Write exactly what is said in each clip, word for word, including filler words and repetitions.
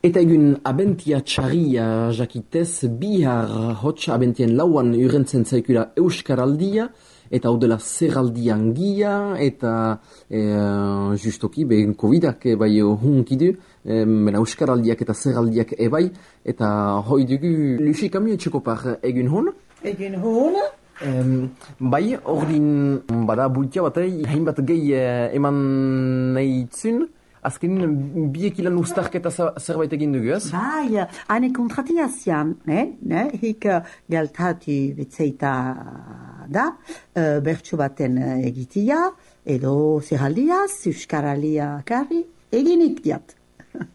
Eta egun abentia txarria jakitez, bihar hotx abentien lauan urentzen zaikura Euskaraldia, eta hau dela zerraldian gia, eta e, justoki, behin Covidak bai hunkidu, e, mena Euskaraldiak eta zerraldiak ebai, eta hoi dugu Lucy Kamio etxekopar egun hon? Egun hon? Um, bai, ordin bada bultia bat, hainbat gehi eman nahi itzun, azkenin biek ilan ustarketa zerbait egin dugu, ez? Bai, hane kontratiazian, ne? ne? Hik geltatu betzeita da, uh, bertsu baten egitia, edo zeraldiaz, euskaralia karri, eginik diat.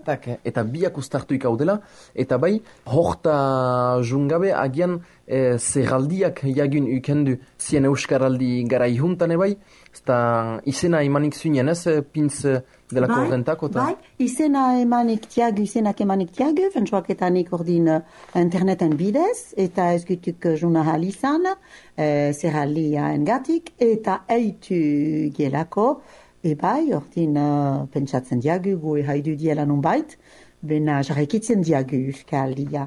Tak, eta biak ustartu ikaudela, eta bai, horta jungabe agian e, zeraldiak jagun ukendu zien euskaraldi gara ihuntan ebai, eta izena emanik zuinen ez, pintz dela bai, korrentako? Bai, izena emanik tiagu, izenak emanik tiagu, fentsuaketanik ordin interneten bidez, eta ez gutuk juna izan, e, zeraldia engatik, eta eitu gelako, ebai, ordin uh, pentsatzen diagu, gu haidu diela nun bait, bena jarrekitzen diagu euskaldia.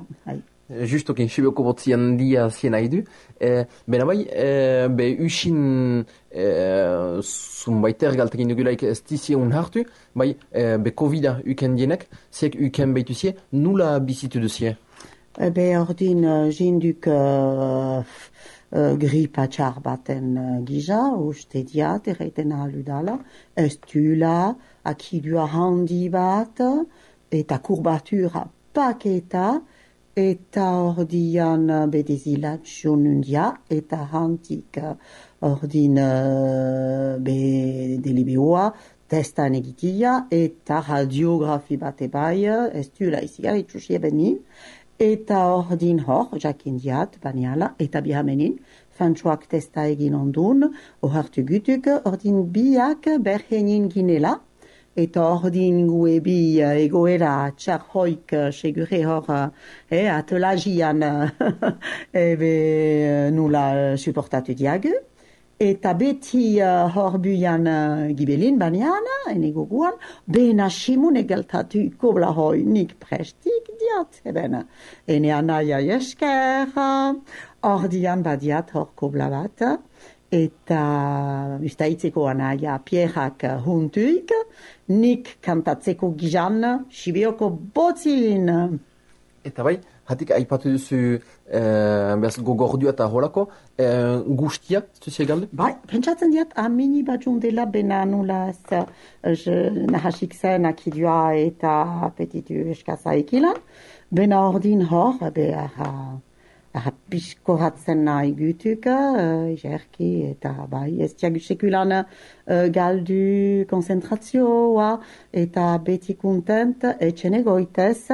Justokin, sibioko botzian dia zien haidu. E, bena bai, e, be usin e, zunbaiter galtekin dugulaik ez dizie un hartu, bai, e, be Covida uken dienek, ziek uken baitu zie, nula bizitu duzie? E, be ordin uh, jinduk... Uh, Uh, gripa txar baten uh, gija, uste diat, erreiten aludala, ez tula, akidua handi bat, eta kurbatura paketa, eta ordian uh, bedezilatxun undia, eta hantik uh, ordin uh, be delibioa, testan egitia, eta radiografi bat ebai, ez tula izigar, itxusie benin, eta ordin hor, jakin diat, baniala, eta bihamenin, fantsuak testa egin ondun, ohartu gutuk, ordin biak berhenin ginela, eta ordin gue bi egoera txar hoik segure hor eh, atelagian ebe nula supportatu diagu, eta beti uh, hor buian uh, gibelin banian, enego guan, bena simun egeltatu kobla hoi nik prestik diat, eben, ene anaia esker, ordian badiat hor kobla bat, eta ustaitzeko anaia pierrak huntuik, nik kantatzeko gizan, sibioko botzin. Eta bai, hatik aipatu duzu eh, gogordu eta holako, eh, guztia, zuzi egalde? Bai, pentsatzen diat, amini batxun dela bena nula ez nahasik zen akidua eta apetitu eskaza ekilan, bena ordin hor, behar uh, piskoratzen nahi gutuk, uh, jerki eta bai, ez tiagu sekulan uh, galdu konzentrazioa eta beti kontent etxene goitez,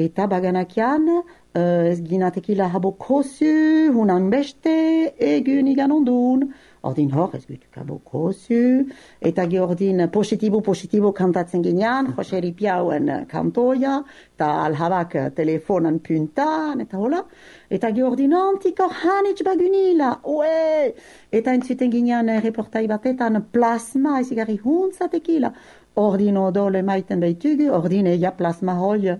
eta baganakian, uh, ez ginatekila habo kosu, hunan beste, egun igan ondun. Ordin hor, ez gutuk habo kosu, eta geordin positibo, positibo kantatzen ginean, Joseri Piauen kantoia, eta alhabak telefonan puntan, eta hola. Eta geordin antiko hanitz bagunila, ue! Eta entzuten ginean reportai batetan plasma, ez igarri huntzatekila. Ordin odole maiten behitugu, ordin eia plasma hoi,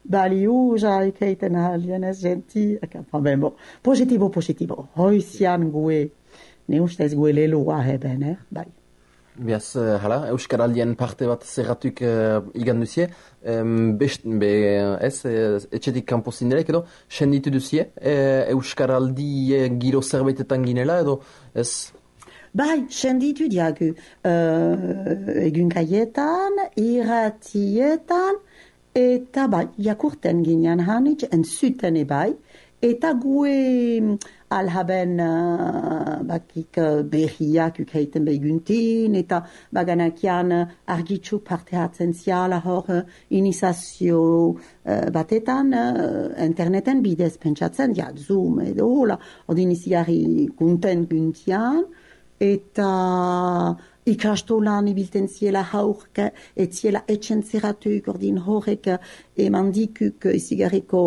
baliu, jaikeiten alien ez genti, enfin ben bon, positibo, positibo, hoizian gue, ne ustez gue lelua heben, eh, bai. Biaz, uh, hala, Euskaraldien parte bat zerratuk uh, igan duzie, um, best, be, ez, etxetik kanpo zindelek edo, senditu duzie, e, Euskaraldi e, giro zerbaitetan ginela edo, ez? Bai, senditu diagu, uh, egunkaietan, irratietan, eta bai, jakurten ginean hanitz, entzuten ebai, eta gue alhaben uh, bakik uh, berriak ukaiten beguntin, eta baganakian uh, argitxuk parte hartzen ziala hor uh, inizazio uh, batetan, uh, interneten bidez pentsatzen, ja, Zoom edo hola, ordin izigarri konten guntian, eta ikastolan ibilten ziela haurk, et ziela etxen zeratuik, ordin horrek eman dikuk izigarriko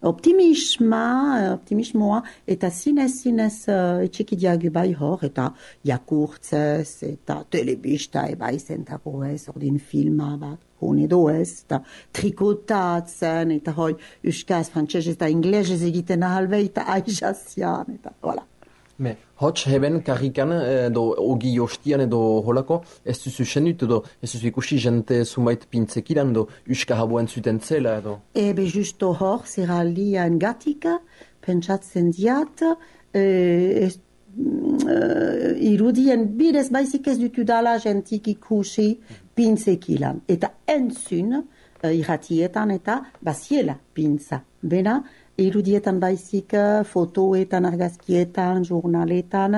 optimisma, optimismoa, eta zinez, zinez uh, etxekidiagu bai hor, eta jakurtzez, eta telebista ebai zentako ez, ordin filma bat, hon edo ez, eta trikotatzen, eta hoi, euskaz, frantzesez eta inglesez egiten ahalbe, eta aizazian, eta voilà. Me, hots heben karrikan edo ogi hostian edo holako, ez duzu senut edo ez duzu ikusi jente sumait pintzekilan edo uska haboen zuten zela edo? Ebe justo hor, zeraldian gatika, pentsatzen diat, eh, ez, uh, irudien bidez baizik ez dutu dala jentik ikusi pintzekilan. Eta entzun, uh, irratietan eta baziela pintza. Bena, irudietan baizik, fotoetan, argazkietan, jurnaletan,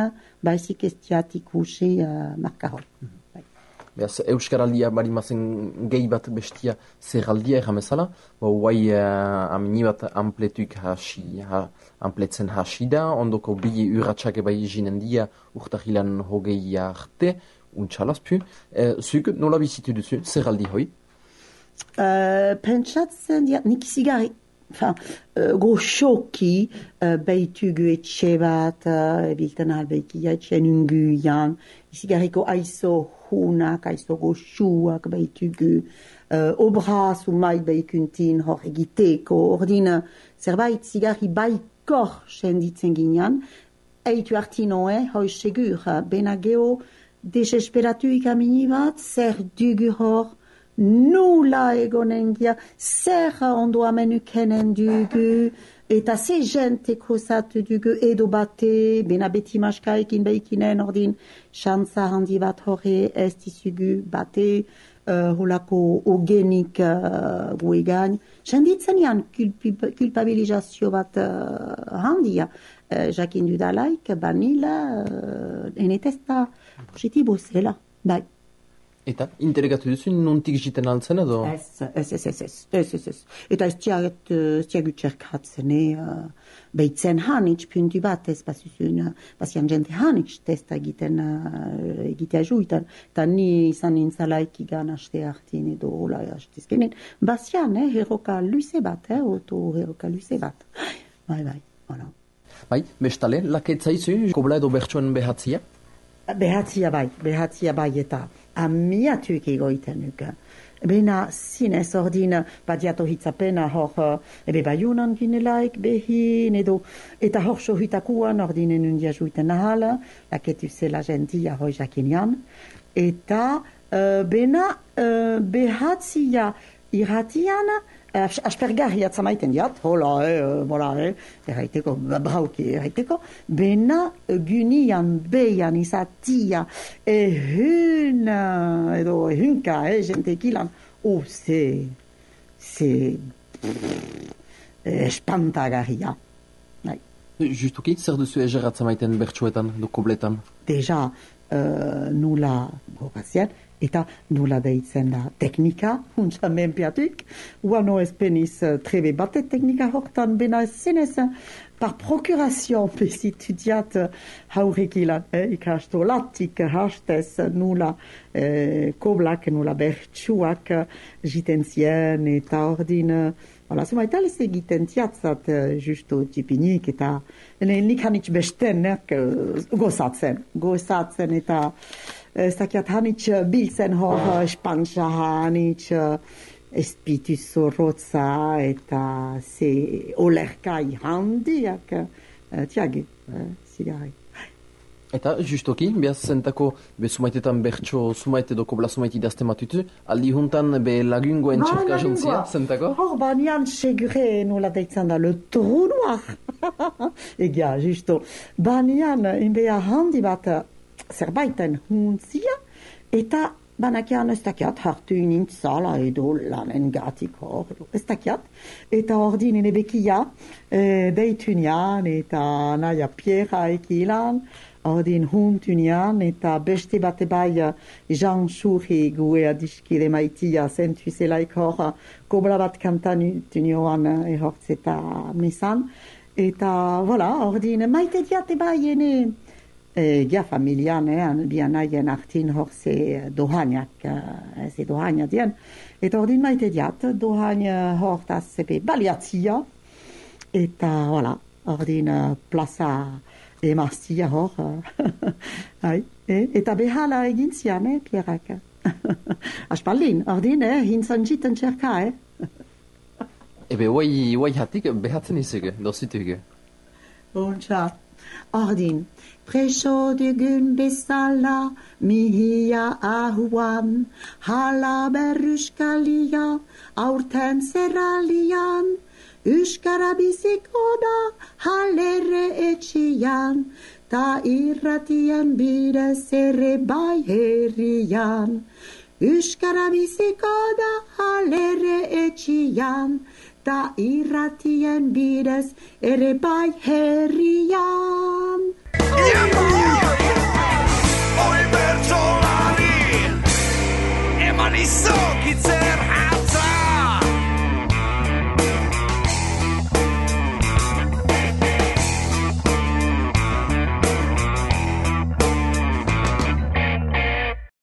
baizik ez diat ikusi uh, markahol. Mm-hmm. Beaz, Euskaraldia bari mazen gehi bat bestia zerraldia erramezala, guai uh, amini bat ampletuik hasi, ha, ampletzen hasi da, ondoko bi urratxak ebai jinen dia urtahilan hogei arte, untxalazpu. E, zuk nola bizitu duzu, zerraldi hoi? Uh, pentsatzen diat, nik zigari. Enfin, uh, goxoki uh, beitugu etxe bat, uh, ebilten albeikia etxen unguian, izigarriko aizo hunak, aizo goxuak beitugu, uh, obra sumait beikuntin hor egiteko, ordin zerbait zigarri baikor senditzen ginean, eitu artinoe, hoi segur, benageo desesperatuik amini bat, zer dugu hor, nula egonengia, zer ondo amenukenen dugu, eta ze jente kruzatu dugu edo bate, bena beti maskaekin beikinen ordin, xantza handi bat horre ez dizugu bate, uh, holako ogenik uh, guegain. Senditzen jan kulpabilizazio bat uh, handia, uh, jakin dudalaik, banila, uh, enetesta positibo zela, bai. Eta, interegatu duzu, nontik jiten altzen edo? Ez, ez, ez, ez, ez, ez, ez, ez. Eta ez tiagut txerkatzen, uh, behitzen hanitz puntu bat, ez basuzun, basian jente hanitz testa egiten, uh, egitea juitan, eta ni izan nintzalaik igan haste hartin edo hola hastezkenen, basian, eh, heroka luze bat, eh, oto heroka luze bat. Bai, bai, voilà. Bai, bestale, laketzaizu, kobla edo bertsoen behatzia? Behatzia bai, behatzia bai eta amiatuik egoiten nuke. Bena zinez ordin badiato hitzapena hor ebe baiunan ginelaik behin edo eta hor sohitakuan ordinen undia juiten ahala, laketu zela gentia hoi jakinian. Eta uh, bena uh, behatzia irratian Uh, aspergarri atzamaiten diat, hola, eh, hola, eh, erraiteko, brauki erraiteko, bena gunian beian izatia ehun, edo ehunka, eh, jentekilan, oh, ze, ze, espantagarria. Bai. Justuki, zer duzu eger atzamaiten bertsuetan, do kobletan? Deja, uh, nula horazien, eta nola deitzen da teknika, huntza menpiatuk, uano ez peniz trebe bate teknika hortan, bena zenez, par procuration bezitu diat haurekilan, eh, ikasto latik hastez nola eh, koblak, nola bertsuak jitenzien, eta ordin, voilà, zumaital ez egiten tiatzat justo tipinik, eta nik hanitz besten, eh, gozatzen, gozatzen, eta ez dakiat hanitz biltzen hor espantza hanitz espitu zorrotza eta ze olerkai handiak tiagi, zigari. Eta justoki, behaz zentako be sumaitetan bertso sumaite edo kobla sumaite idazte matutu, aldi juntan be lagungoen txerka jontzia, zentako? Hor banian segure nola deitzen da, le trou noir. Egia, justo. Banian, inbea handi bat zerbaiten huntzia, eta banakian ez dakiat hartu nintzala edo lanen gatik hor, ez dakiat, eta ordin enebekia e, deitunian, eta naia piera ekilan, ordin huntunian, eta beste bate bai Jean Churri guea diskile maitia zentu zelaik hor, kobla bat kantan tunioan ehortzeta mesan, eta voilà, ordin maite diate bai ene, E, gia familian, eh, bian aien artin hor ze dohaniak, eh, ze dohania dien. Eta ordin maite diat, dohania hor taz zepe baliatzia, eta, voilà, ordin uh, plaza emaztia hor. Uh, eh? Eta behala egin zian, eh, Pierrak. Aspaldin, ordin, eh, hintzan jiten txerka, eh? Ebe, guai, guai hatik behatzen izuge, dozituge. Ontsa, ordin, preso dugun bezala, mihia ahuan, hala berruskalia, aurten zerralian, Euskara biziko da, halere etxian, ta irratien bidez ere bai herrian. Euskara biziko da, halere etxian, ta irratien bidez ere bai herrian.